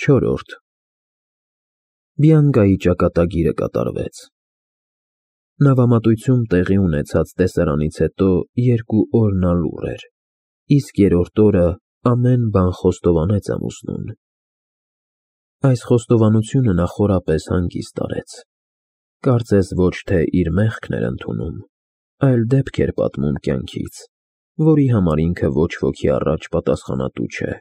4. Բիանկայի ճակատագիրը կատարվեց։ Նավամատույցում տեղի ունեցած տեսարանից հետո 2 օր նա լուռ էր, իսկ 3-րդ օրը ամեն բան խոստովանեց ամուսնուն։ Այս խոստովանությունը նա խորապես հանգիստ արեց։ Կարծես ոչ թե իր մեղքն էր ընդունում, այլ դեպք էր պատմում կյանքից, որի համար ինքը ոչ ոքի առաջ պատասխանատու չէ։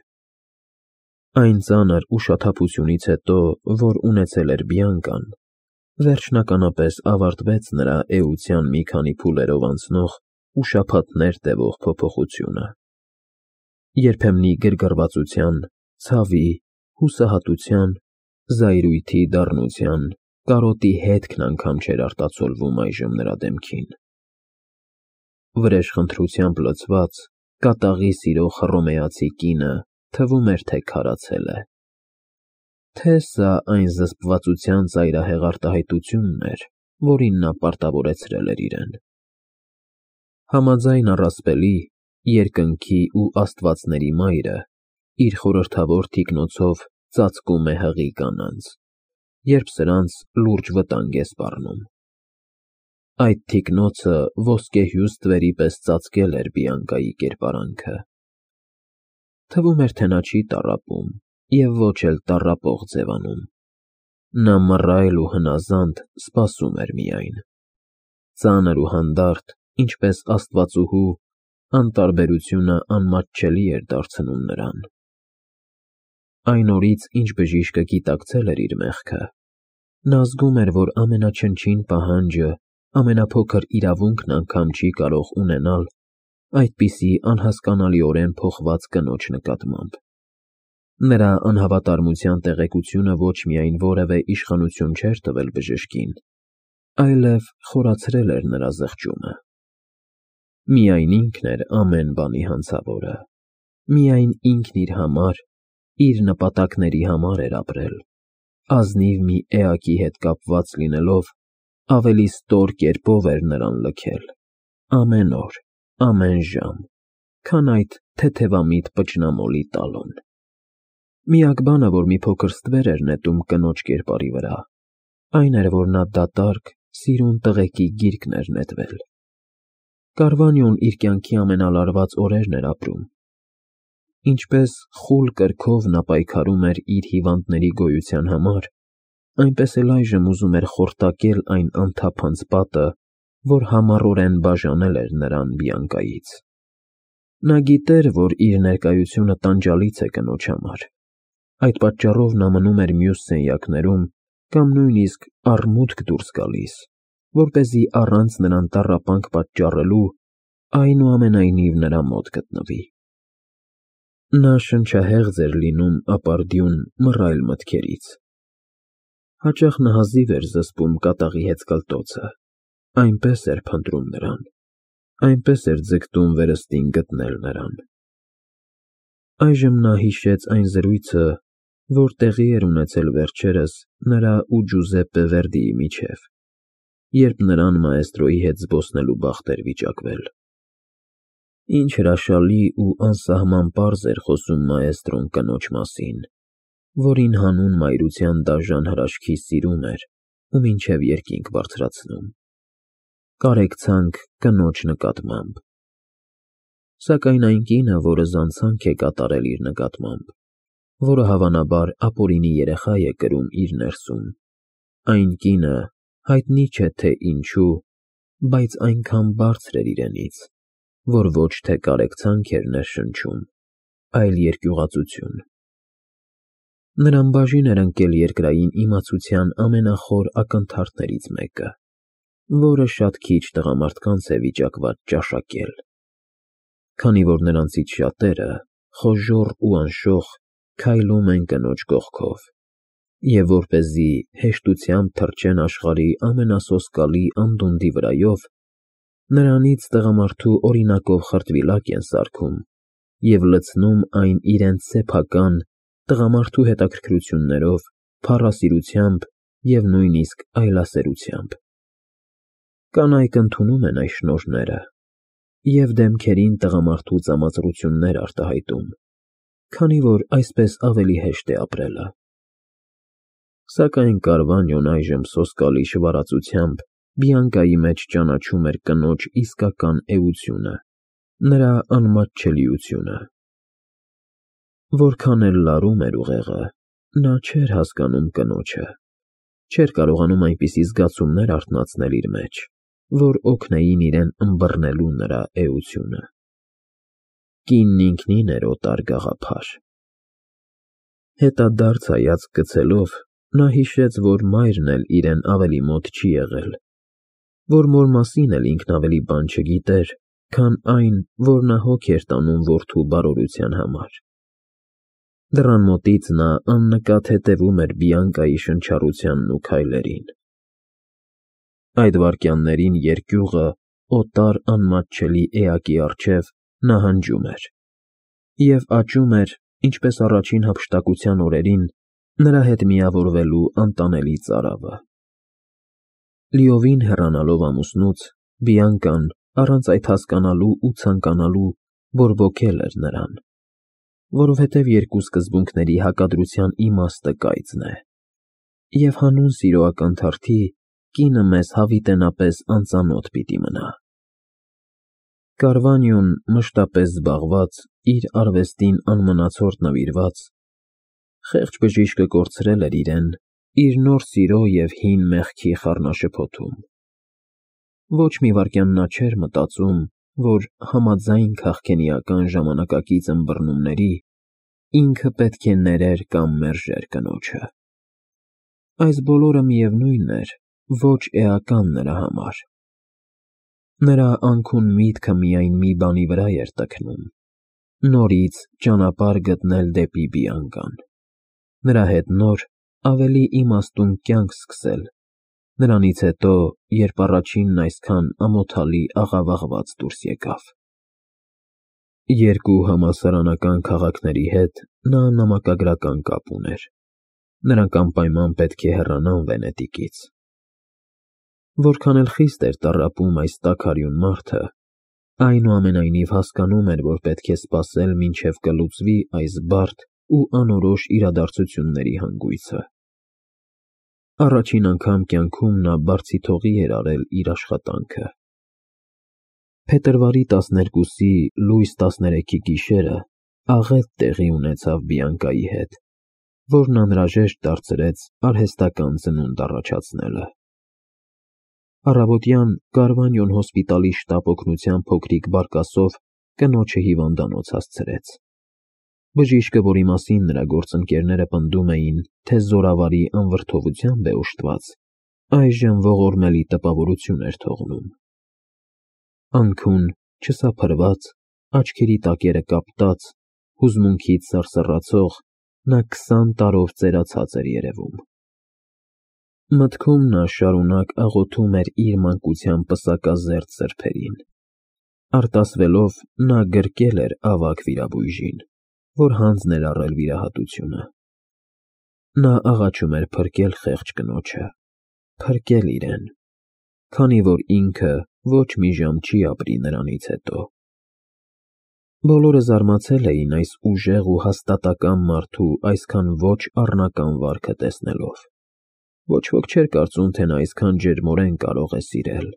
Այն ծանր ուշաթափությունից հետո, որ ունեցել էր Բիանկան, վերջնականապես ավարտվեց նրա էության մի քանի փուլերով անցնող ու շաբաթներ տևող փոփոխությունը։ Երբեմնի գրգռվածության, ցավի, հուսահատության, զայրույթի դառնության, կարոտի հետքն անգամ չէր արտացոլվում այժմ նրա դեմքին։ Վրեժխնդրությամբ լցված, կատաղի սիրող հռոմեացի կինը թվում էր, թե քարացել է։ Թե սա այն զսպվածության ծայրահեղ արտահայտությունն էր, որին նա պարտավորեցրել էր իրեն։ Համաձայն առասպելի, երկնքի ու աստվածների մայրը իր խորհրդավոր թիկնոցով ծածկում է հղի կանանց, երբ սրանց լուրջ վտանգ է սպառնում։ Այդ թիկնոցը ոսկեհյուս ստվերի պես ծածկել էր Բիանկայի կերպարանքը։ Թվում էր, թե նա չի տառապում և ոչ էլ տառապող ձևանում։ Նա մռայլ ու հնազանդ սպասում էր միայն։ Ծանր ու հանդարտ, ինչպես աստվածուհու, անտարբերությունը անմատչելի էր դարձնում նրան։ Այն օրից, ինչ բժիշկը գիտակցել էր իր մեղքը, նա զգում էր, որ ամենաչնչին պահանջը, ամենափոքր իրավունքն անգամ չի կարող ունենալ այդպիսի անհասկանալիորեն փոխված կնոջ նկատմամբ։ Նրա անհավատարմության տեղեկությունը ոչ միայն որևէ իշխանություն չէր տվել բժշկին, այլև խորացրել էր նրա զղջումը։ Միայն ինքն էր ամեն բանի հանցավորը, միայն ինքն իր համար, իր նպատակների համար էր ապրել, ազնիվ մի էակի հետ կապված լինելով, ավելի ստոր կերպով էր նրան լքել, ամեն օր, ամեն ժամ, քան այդ թեթևամիտ պճնամոլի տալոն։ Միակ բանը, որ մի փոքր ստվեր էր նետում կնոջ կերպարի վրա, այն էր, որ նա դատարկ, սիրուն տղեկի գիրկն էր նետվել։ Կարվանյոն իր կյանքի ամենալարված օրերն էր ապրում։ Ինչպես խուլ կրքով նա պայքարում էր իր հիվանդների գոյության համար, այնպես էլ այժմ ուզում էր խորտակել այն անթափանց պատը, որ համառորեն բաժանել էր նրան Բիանկայից։ Նա գիտեր, որ իր ներկայությունը տանջալից է կնոջ համար։ Այդ պատճառով նա մնում էր մյուս սենյակներում կամ նույնիսկ առմուտք դուրս գալիս, որպեսզի առանց նրան տառապանք պատճառելու, այնուամենայնիվ նրա մոտ գտնվի։ Նա շնչահեղձ էր լինում ապարդյուն, մռայլ մտքերից։ Հաճախ նա հազիվ էր զսպում կատաղի հեծկլտոցը, այնպես էր փնտրում նրան, այնպես էր ձգտում վերստին գտնել նրան։ Այժմ նա հիշեց այն զրույցը, որ տեղի էր ունեցել վերջերս նրա ու Ջուզեպպե Վերդիի միջև, երբ նրան մաեստրոյի հետ զբոսնելու բախտ էր վիճակվել։ Ինչ հրաշալի ու անսահման պարզ էր խոսում մաեստրոն կնոջ մասին, որին հանուն մայրության դաժան հրաշքի սիրում էր ու մինչև երկինք բարձրացնում։ Կարեկցանք կնոջ նկատմամբ։ Սակայն այն կինը, որը զանցանք է կատարել իր նկատմամբ, որը հավանաբար ապօրինի երեխա է կրում իր ներսում, այն կինը, հայտնի չէ թե ինչու, բայց այնքան բարձր էր իրենից, որ ոչ թե կարեկցանք էր ներշնչում, այլ երկյուղածություն։ Նրան բաժին էր ընկել երկրային իմացության ամենախոր ակնթարթներից մեկը, որը շատ քիչ տղամարդկանց է վիճակված ճաշակել, քանի որ նրանցից շատերը, խոժոռ ու անշոխ, քայլում են կնոջ կողքով, և որպեսզի հեշտությամբ թռչեն աշխարհի ամենասոսկալի անդունդի վրայով, նրանից տղամարդու օրինակով խրտվիլակ են սարքում և լցնում այն իրենց սեփական, տղամարդու հետաքրքրություններով, փառասիրությամբ և նույնիսկ այլասերությամբ։ Կանայք ընդունում են այս շնորհները և դեմքերին տղամարդու ծամածռություններ արտահայտում, քանի որ այսպես ավելի հեշտ է ապրելը։ Սակայն Կարվանյոն այժմ սոսկալի շվարածությամբ Բիանկայի մեջ ճանաչում էր կնոջ իսկական էությունը, նրա անմատչելիությունը։ Որքան էլ լարում էր ուղեղը, նա չէր հասկանում կնոջը, չէր կարողանում այնպիսի զգացումներ արթնացնել իր մեջ, որ օգնեին իրեն ըմբռնելու նրա էությունը։ Կինն ինքնին էր օտար գաղափար։ Հետադարձ հայացք գցելով, նա հիշեց, որ մայրն էլ իրեն ավելի մոտ չի եղել, որ մոր մասին էլ ինքն ավելի բան չգիտեր, քան այն, որ նա հոգ էր տանում որդու բարօրության համար։ Դռան մոտից նա աննկատ հետևում էր Բիանկայի շնչառությանն ու քայլերին։ Այդ վայրկյաններին երկյուղը, օտար անմատչելի էակի առջև նահանջում էր և աճում էր, ինչպես առաջին հափշտակության օրերին, նրա հետ միավորվելու անտանելի ծարավը։ Լիովին հեռանալով ամուսնուց, Բիանկան, առանց այդ հասկանալու ու ցանկանալու, բորբոքել էր նրան, որովհետև երկու սկզբունքների հակադրության իմաստը կայծն է, և հանուն սիրո ակնթարթի կինը մեզ հավիտենապես անծանոթ պիտի մնա։ Կարվանյոն, մշտապես զբաղված, իր արվեստին անմնացորդ նվիրված, խեղճ բժիշկը կորցրել էր իրեն իր նոր սիրո և հին մեղքի խառնաշփոթում։ Ոչ մի վայրկյան նա չէր մտածում, որ համաձայն քաղքենիական ժամանակակից ըմբռնումների, ինքը պետք է ներեր կամ մերժեր կնոջը։ Այս բոլորը միևնույն էր, ոչ էական նրա համար։ Նրա անքուն միտքը միայն մի բանի վրա էր տքնում՝ նորից ճանապարհ գտնել դեպի Բիանկան, նրա հետ նոր, ավելի իմաստուն կյանք սկսել, նրանից հետո, երբ առաջինն այսքան ամոթալի աղավաղված դուրս եկավ։ Երկու համալսարանական քաղաքների հետ նա նամակագրական կապ ուներ, նրանք անպայման պետք է հեռանան Վենետիկից։ Որքան էլ խիստ էր տառապում այս տաքարյուն մարդը, այնուամենայնիվ հասկանում էր, որ պետք է սպասել, մինչև կլուծվի այս բարդ ու անորոշ իրադարձությունների հանգույցը։ Առաջին անգամ կյանքում նա բարձիթողի էր արել իր աշխատանքը։ Փետրվարի 12-ի լույս 13-ի գիշերը աղետ տեղի ունեցավ Բիանկայի հետ, որն անհրաժեշտ դարձրեց արհեստական ծնունդ առաջացնելը։ Առավոտյան Կարվանյոն հոսպիտալի շտապ օգնության փոքրիկ բարկասով կնոջը հիվանդանոց հասցրեց։ Բժիշկը, որի մասին նրա գործընկերները պնդում էին, թե զորավարի անվրդովությամբ է օժտված, այժմ ողորմելի տպավորություն էր թողնում։ Անքուն, չսափրված, աչքերի տակերը կապտած, հուզմունքից սարսռացող, նա 20 տարով ծերացած էր երևում։ Մտքում նա շարունակ աղոթում էր իր մանկության պսակազերծ սրբերին։ Արտասվելով, նա գրկել էր ավագ վիրաբույժին, որ հանձն էր առել վիրահատությունը։ Նա աղաչում էր փրկել խեղճ կնոջը, փրկել իրեն, քանի որ ինքը ոչ մի ժամ չի ապրի նրանից հետո։ Բոլորը զարմացել էին այս ուժեղ ու հաստատակամ մարդու այսքան ոչ առնական վարքը տեսնելով։ Ոչ ոք չէր կարծում, թե նա այսքան ջերմորեն կարող է սիրել,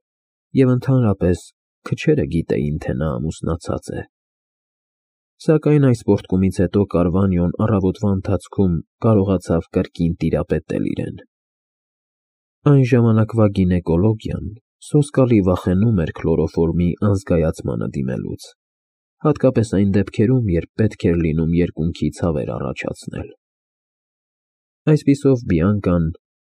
և ընդհանրապես քչերը գիտեին, թե նա ամուսնացած է։ Սակայն այս պոռթկումից հետո Կարվանյոն առավոտվա ընթացքում կարողացավ կրկին տիրապետել իրեն։ Այն ժամանակվա գինեկոլոգիան սոսկալի վախենում էր քլորոֆորմի անզգայացմանը դիմելուց, հատկապես այն դեպքերում, երբ պետք էր լինում երկունքի ցավեր առաջացնել։ Այսպիսով Բիանկան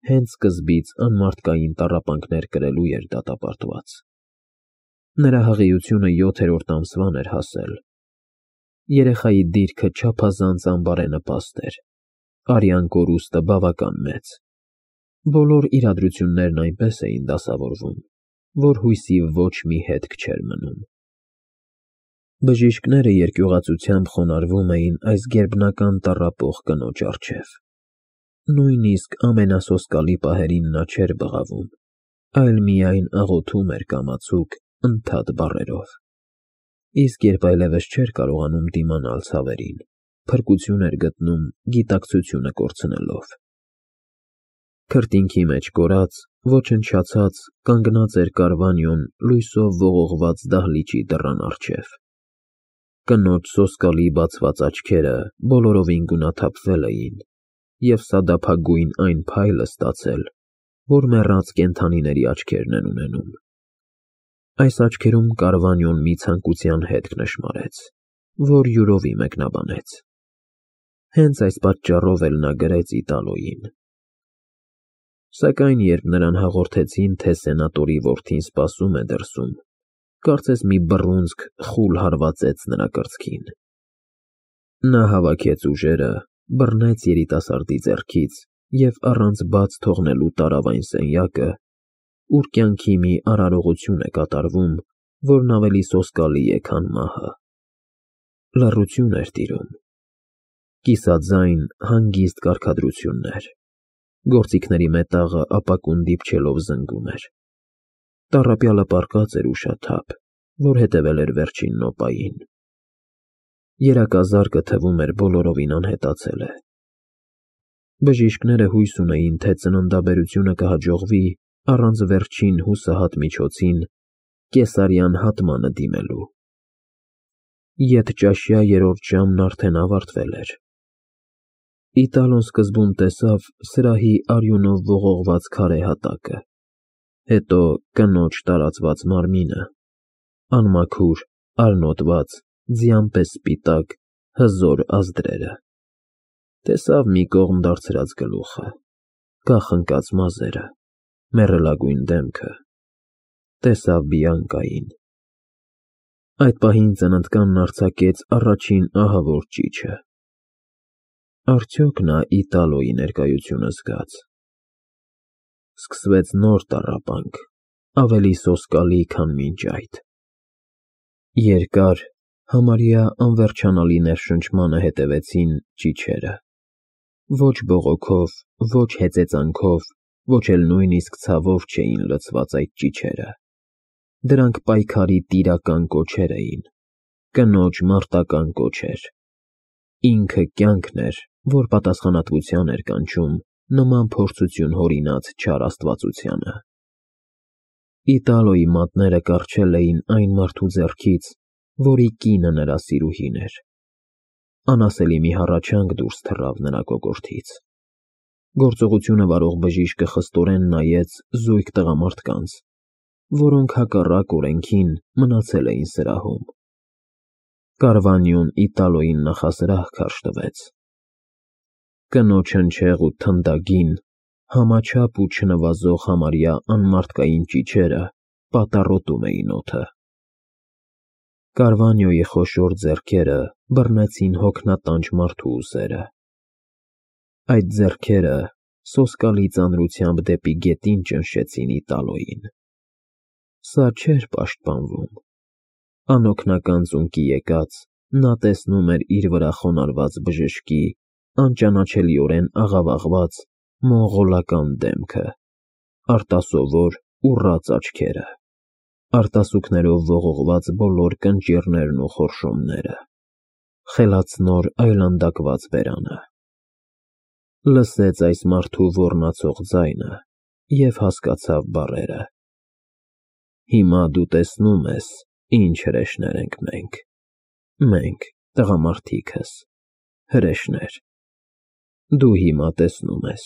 հենց սկզբից անմարդկային տառապանքներ կրելու էր դատապարտված։ Նրա հղիությունը 7-րդ ամսվան էր հասել։ Երեխայի դիրքը չափազանց անբարենպաստ էր, արյան կորուստը բավական մեծ։ Բոլոր իրադրություններն այնպես էին դասավորվում, որ հույսի ոչ մի հետք չէր մնում։ Բժիշկները երկյուղածությամբ խոնարհվում էին այս գերբնական տառապող կնոջ առջև։ Նույնիսկ ամենասոսկալի պահերին նա չէր բղավում, այլ միայն աղոթում էր կամացուկ, ընդհատ բառերով։ Իսկ երբ այլևս չէր կարողանում դիմանալ ցավերին, փրկություն էր գտնում գիտակցությունը կորցնելով։ Քրտինքի մեջ կորած, ոչնչացած, կանգնած էր Կարվանյոն լույսով ողողված դահլիճի դռան առջև։ Կնոջ սոսկալի բացված աչքերը բոլորովին գունաթափվել էին և սադափագույն այն փայլը ստացել, որ մեռած կենդանիների աչքերն են ունենում։ Այս աչքերում Կարվանյոն մի ցանկության հետք նշմարեց, որ յուրովի մեկնաբանեց։ Հենց այս պատճառով էլ նա գրեց Իտալոյին։ Սակայն երբ նրան հաղորդեցին, թե սենատորի որդին սպասում է դրսում, կարծես մի բռունցք խուլ հարվածեց նրա կրծքին։ Նա հավաքեց ուժերը, բռնեց երիտասարդի ձեռքից և առանց բաց թողնելու տարավ այն սենյակը, ուր կյանքի մի արարողություն է կատարվում, որն ավելի սոսկալի է, քան մահը։ Լռություն էր տիրում։ Կիսաձայն, հանգիստ կարգադրություններ։ Գործիքների մետաղը ապակուն դիպչելով զնգում էր։ Տառապյալը պառկած էր ուշաթափ, որ հետևել էր վերջին նոպային։ Երակազարկը թվում էր բոլորովին անհետացել է։ Բժիշկները հույս ունեին, թե ծննդաբերությունը կհաջողվի առանց վերջին հուսահատ միջոցին՝ կեսարյան հատմանը դիմելու։ Ետճաշյա երրորդ ժամն արդեն ավարտվել էր։ Իտալոն սկզբում տեսավ սրահի արյունով ողողված քարե հատակը, հետո կնոջ տարածված մարմինը, անմաքուր, արնոտված, ձյան պես սպիտակ, հզոր ազդրերը, տեսավ մի կողմ դարձրած գլուխը, կախ ընկած մազերը, մեռելագույն դեմքը, տեսավ Բիանկային։ Այդ պահին ծննդկանն արձակեց առաջին ահավոր ճիչը։ Արդյոք նա Իտալոյի ներկայությունը զգաց։ Սկսվեց նոր տառապանք, ավելի սոսկալի, քան մինչ այդ։ Երկար, համարյա անվերջանալի ներշնչմանը հետևեցին ճիչերը։ Ոչ բողոքով, ոչ հեծեծանքով, ոչ էլ նույնիսկ ցավով չէին լցված այդ ճիչերը։ Դրանք պայքարի տիրական կոչեր էին, կնոջ մարտական կոչեր։ Ինքը կյանքն էր, որ պատասխանատվության էր կանչում նման փորձություն հորինած չար աստվածությանը։ Իտալոյի մատները կառչել էին այն մարդու ձեռքից, որի կինը նրա սիրուհին էր։ Անասելի մի հառաչանք դուրս թռավ նրա կոկորդից։ Գործողությունը վարող բժիշկը խստորեն նայեց զույգ տղամարդկանց, որոնք հակառակ օրենքին մնացել էին սրահում։ Կարվանյոն Իտալոյին նախասրահ քարշ տվեց։ Կնոջ հնչեղ ու թնդագին, համաչափ ու չնվազող համարյա անմարդկային ճիչերը պատառոտում էին օդը։ Կարվանյոյի խոշոր ձեռքերը բռնեցին հոգնատանջ մարդու ուսերը։ Այդ ձեռքերը սոսկալի ծանրությամբ դեպի գետին ճնշեցին Իտալոյին։ Սա չէր պաշտպանվում։ Անօգնական ծունկի եկած, նա տեսնում էր իր վրա խոնարհված բժշկի անճանաչելիորեն աղավաղված, մոնղոլական դեմքը, արտասովոր, ուռած աչքերը, արտասուքներով ողողված բոլոր կնճիռներն ու խորշոմները, խելացնոր այլանդակված բերանը։ Լսեց այս մարդու ոռնացող ձայնը և հասկացավ բառերը. Հիմա դու տեսնում ես, ինչ հրեշներ ենք մենք։ Մենք, տղամարդիկս, հրեշներ։ Դու հիմա տեսնում ես։